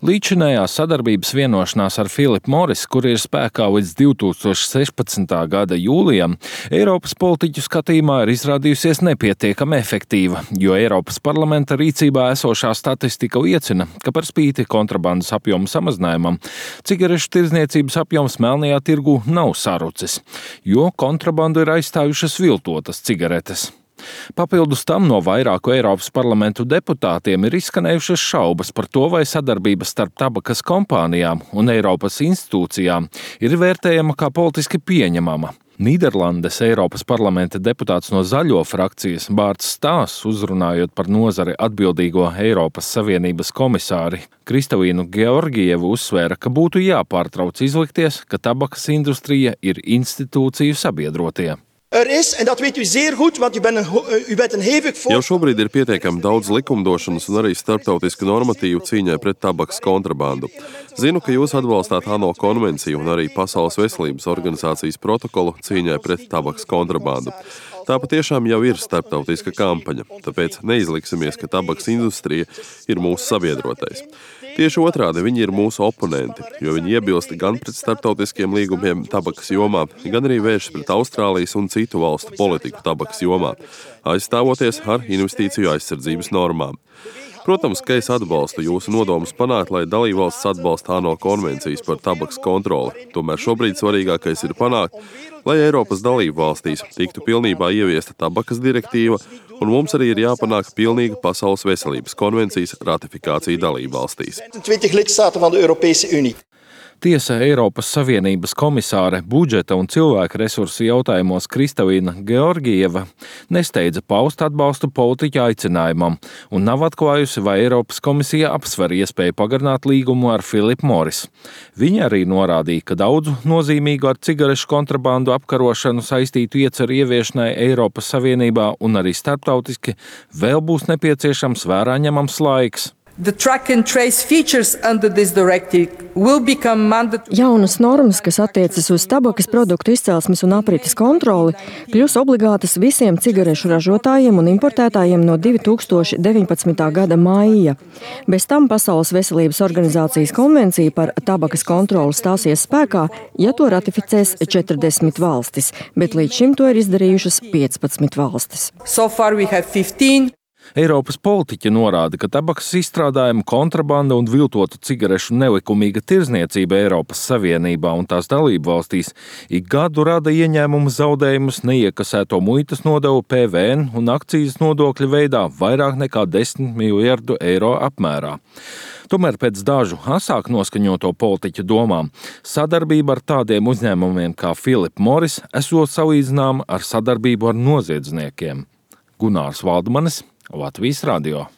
Līdzinējā sadarbības vienošanās ar Philip Morris, kur ir spēkā līdz 2016. gada jūlijam, Eiropas politiķu skatījumā ir izrādījusies nepietiekami efektīva, jo Eiropas parlamenta rīcībā esošā statistika liecina, ka par spīti kontrabandas apjoma samazinājumam, cigarešu tirdzniecības apjoms melnajā tirgū nav sarucis, jo kontrabandu ir aizstājušas viltotas cigaretes. Papildus tam no vairāku Eiropas parlamentu deputātiem ir izskanējušas šaubas par to, vai sadarbība starp tabakas kompānijām un Eiropas institūcijām ir vērtējama kā politiski pieņemama. Nīderlandes Eiropas parlamenta deputāts no Zaļo frakcijas Bārts Stās, uzrunājot par nozari atbildīgo Eiropas Savienības komisāri Kristalīnu Georgievu, uzsvēra, ka būtu jāpārtrauc izlikties, ka tabakas industrija ir institūciju sabiedrotie. Jau šobrīd ir pietiekami daudz likumdošanas un arī starptautisku normatīvu cīņai pret tabakas kontrabandu. Zinu, ka jūs atbalstāt ANO konvenciju un arī Pasaules veselības organizācijas protokolu cīņai pret tabakas kontrabandu. Tā patiešām jau ir starptautiska kampaņa, tāpēc neizliksimies, ka tabakas industrija ir mūsu sabiedrotais. Tieši otrādi, viņi ir mūsu oponenti, jo viņi iebilst gan pret starptautiskiem līgumiem tabakas jomā, gan arī vēršas pret Austrālijas un citu valstu politiku tabakas jomā, aizstāvoties ar investīciju aizsardzības normām. Protams, ka es atbalstu jūsu nodomus panākt, lai dalībvalstis atbalsta ANO konvencijas par tabakas kontroli. Tomēr šobrīd svarīgākais ir panākt, lai Eiropas dalībvalstīs tiktu pilnībā ieviesta tabakas direktīva, un mums arī ir jāpanāk pilnīga Pasaules veselības konvencijas ratifikācija dalībvalstīs. Tiesa Eiropas Savienības komisāre budžeta un cilvēku resursu jautājumos Kristalīna Georgieva nesteidza paust atbalstu politiķa aicinājumam un nav atklājusi, vai Eiropas komisija apsver iespēju pagarināt līgumu ar Philip Morris. Viņa arī norādīja, ka daudzu nozīmīgu ar cigarešu kontrabandu apkarošanu saistītu ieceru ieviešanai Eiropas Savienībā un arī starptautiski vēl būs nepieciešams vērā ņemams laiks. Jaunas normas, kas attiecas uz tabakas produktu izcelsmes un aprites kontroli, kļūs obligātas visiem cigarešu ražotājiem un importētājiem no 2019. gada maija. Bez tam Pasaules veselības organizācijas konvencija par tabakas kontroli stāsies spēkā, ja to ratificēs 40 valstis, bet līdz šim to ir izdarījušas 15 valstis. Eiropas politiķi norāda, ka tabakas izstrādājumu kontrabanda un viltotu cigarešu nelikumīga tirdzniecība Eiropas Savienībā un tās dalību valstīs ik gadu rada ieņēmumu zaudējumus neiekasēto muitas nodevu PVN un akcijas nodokļu veidā vairāk nekā 10 miljardu eiro apmērā. Tomēr pēc dažu asāk noskaņoto politiķu domām sadarbība ar tādiem uzņēmumiem kā Philip Morris esot salīdzināma ar sadarbību ar noziedzniekiem. Gunārs Valdmanis, Latvijas radio.